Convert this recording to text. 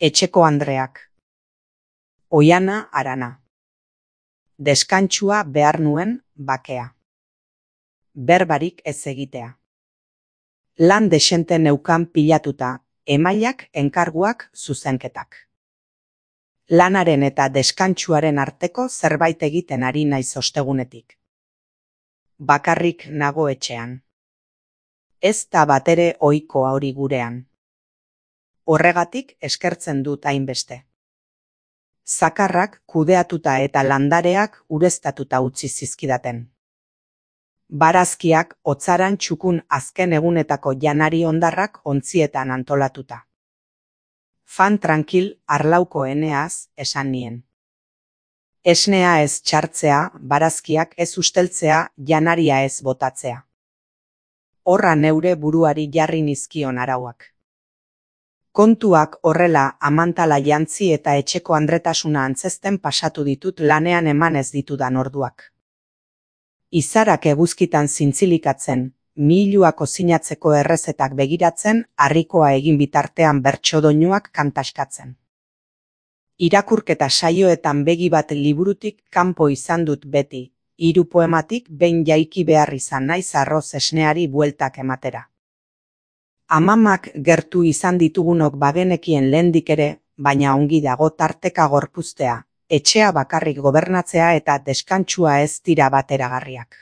Etxeko andreak. Oiana Arana. Deskantsua behar nuen bakea. Berbarik ez egitea. Lan desente neukan pilatuta, emailak, enkarguak, zuzenketak. Lanaren eta deskantsuaren arteko zerbait egiten ari naiz ostegunetik. Bakarrik nago etxean. Ez da batere ohikoa hori gurean. Horregatik eskertzen dut hainbeste. Zakarrak kudeatuta eta landareak ureztatuta utzi zizkidaten. Barazkiak hotzaran txukun azken egunetako janari hondarrak ontzietan antolatuta. Fan tranquil arlauko eneaz esan nien. Esnea ez txartzea, barazkiak ez usteltzea, janaria ez botatzea. Horra neure buruari jarri nizkion arauak. Kontuak horrela amantala jantzi eta etxeko andretasuna antzesten pasatu ditut lanean eman ez ditudan orduak. Izarak eguzkitan zintzilikatzen, mihiluak ozinatzeko errezetak begiratzen, harrikoa egin bitartean bertsodoinuak kantaskatzen. Irakurketa saioetan begi bat liburutik kanpo izan dut beti, 3 poematik behin jaiki behar izan naiz arroz esneari bueltak ematera. Amamak gertu izan ditugunok bagenekien lehendik ere, baina ongi dago tarteka gorpuztea, etxea bakarrik gobernatzea eta deskantsua ez dira bateragarriak.